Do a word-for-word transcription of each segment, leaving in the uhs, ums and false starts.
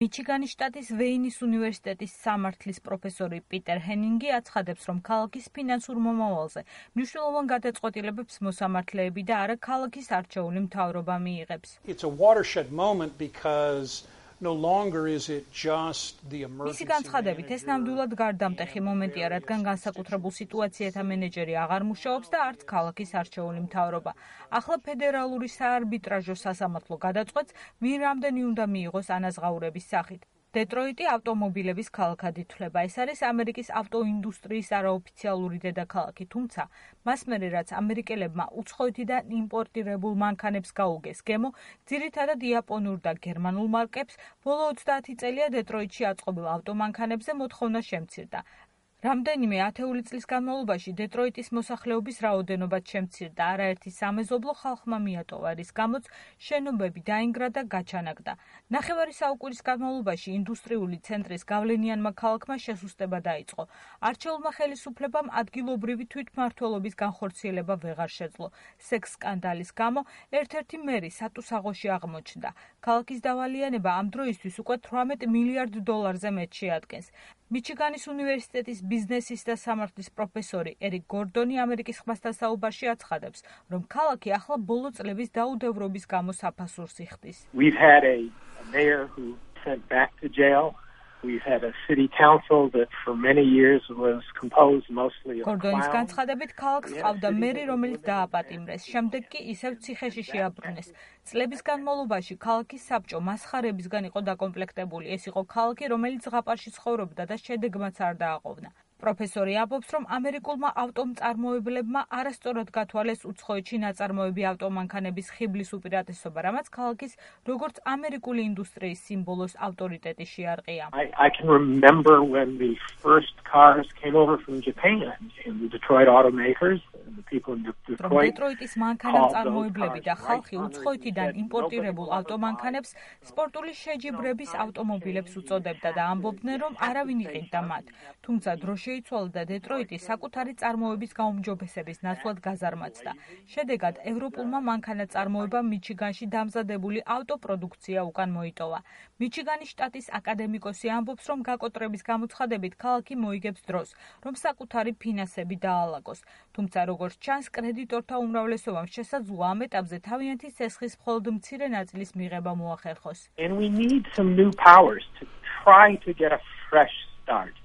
მიჩიგანის შტატის ვეინის უნივერსიტეტის სამართლის პროფესორი პიტერ ჰენინგი აცხადებს, რომ ქალაქის ფინანსურ მომავალზე მნიშვნელოვან გადაწყვეტილებებს მოსამართლეები და არა ქალაქის არჩეული მთავრობა მიიღებს. It's a watershed moment because no longer is it just the emergency. მისი განცხადებით, ეს ნამდვილად გარდამტეხი მომენტია, რადგან განსაკუთრებულ სიტუაციათა მენეჯერი აღარ მუშაობს და არც ქალაქის არჩეული მთავრობა. ახლა ფედერალური საარბიტრაჟო სასამართლო გადაწყვეტს, ვინ რამდენი უნდა მიიღოს ანაზღაურების სახით. დეტროიტი ავტომობილების ქალაქად ითვლება. ეს არის ამერიკის ავტოინდუსტრიის არაოფიციალური დედაქალაქი, თუმცა მას მერე რაც ამერიკელებმა უცხოეთიდან იმპორტირებულ მანქანებს გაუგეს გემო, ძირითადად იაპონურ და გერმანულ მარკებს, ბოლო ოცდაათი წელია დეტროიტში აწყობილ ავტომანქანებზე მოთხოვნა შემცირდა. რამდენიმე ათეული წლის განმავლობაში დეტროიტის მოსახლეობის რაოდენობაც შემცირდა, არაერთი სამეზობლო ხალხმა მიატოვა, რის გამოც შენობები დაინგრა და გაჩანაგდა. ნახევარი საუკუნის განმავლობაში ინდუსტრიული ცენტრის გავლენიანმა ქალაქმა შესუსტება დაიწყო. არჩეულმა ხელისუფლებამ ადგილობრივი თვითმმართველობის განხორციელება ვეღარ შეძლო. სექს სკანდალის გამო ერთ-ერთი მერი სატუსაღოში აღმოჩნდა. ქალაქის დავალიანება ამ დროისთვის უკვე თვრამეტ მილიარდ დოლარზე მეტ შეადგენს. მიჩიგანის უნივერსიტეტის ბიზნესის და სამართლის პროფესორი ერიკ გორდონი ამერიკის ხმასთან საუბარში აცხადებს, რომ ქალაქი ახლა ბოლო წლების დაუდევრობის გამო საფასურს იხდის. We've had a, a mayor who sent back to jail. We've had a city council that for many years was composed mostly of გორდონის clowns. განცხადებით, ქალაქს ჰყავდა მერი, რომელიც დააპატიმრეს, შემდეგ კი ისევ ციხეში შეაბრუნეს. წლების განმავლობაში ქალაქის საბჭო მასხარებისგან იყო დაკომპლექტებული. ეს იყო ქალაქი, რომელიც ზღაპარში ცხოვრობდა და შედეგმაც არ დააყოვნა. პროფესორი ამბობს, რომ ამერიკულმა ავტომწარმოებლებმა არასწორად გათვალეს უცხოეთში ნაწარმოები ავტომანქანების ხიბლის უპირატესობა, რამაც ქალაქის როგორც ამერიკული ინდუსტრიის სიმბოლოს ავტორიტეტი შეარყია. I, I can remember when the first cars came over from Japan and the Detroit automakers and the people in Detroit. დეტროიტის მანქანამწარმოებლები და ხალხი უცხოეთიდან იმპორტირებულ ავტომანქანებს სპორტული შეჯიბრების ავტომობილებს უწოდებდა და ამბობდნენ, რომ არავინ იყიდდა მათ. თუმცა დრო შეიცვალა და დეტროიტი საკუთარი წარმოების გაუმჯობესების ნაცვლად გაზარმაცდა. შედეგად ევროპულმა მანქანაწარმოებამ მიჩიგანში დამზადებული ავტოპროდუქცია უკან მოიტოვა. მიჩიგანის შტატის აკადემიკოსი ამბობს, რომ გაკოტრების გამოცხადებით ქალაქი მოიგებს დროს, რომ საკუთარი ფინანსები დაალაგოს. თუმცა როგორც ჩანს, კრედიტორთა უმრავლესობამ შესაძლოა ამ ეტაპზე თავიანთი ცესხის მხოლოდ მცირე ნაწილის მიღება მოახერხოს. And we need some new powers to try to get a fresh start.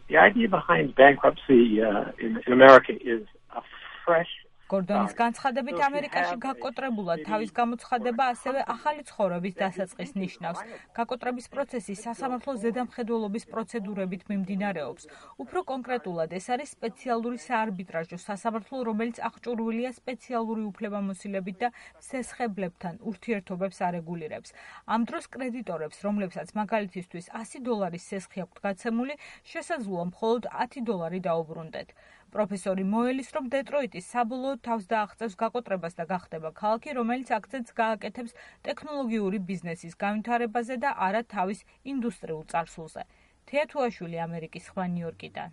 The idea behind bankruptcy uh, in, in America is a fresh გორდონის განცხადებით, ამერიკაში გაკოტრებულად თავის გამოცხადება ასევე ახალი ცხოვრების დასაწყის ნიშნავს. გაკოტრების პროცესი სასამართლო ზედამხედველობის პროცედურებით მიმდინარეობს. უფრო კონკრეტულად, ეს არის სპეციალური საარბიტრაჟო სასამართლო, რომელიც აღჭურვილია სპეციალური უფლებამოსილებით და სესხებლებთან ურთიერთობებს არეგულირებს. ამ დროს კრედიტორებს, რომლებსაც მაგალითისთვის ასი დოლარის სესხი აქვთ გაცემული, შესაძლოა მხოლოდ ათი დოლარი დაუბრუნდეთ. პროფესორი მოელის, რომ დეტროიტი საბოლოოდ თავს დააღწევს გაკოტრებას და გახდება ქალაქი, რომელიც აქცენტს გააკეთებს ტექნოლოგიური ბიზნესის განვითარებაზე და არა თავის ინდუსტრიულ წარსულზე. თეა თუაშვილი, ამერიკის ხმა, ნიუ-იორკიდან.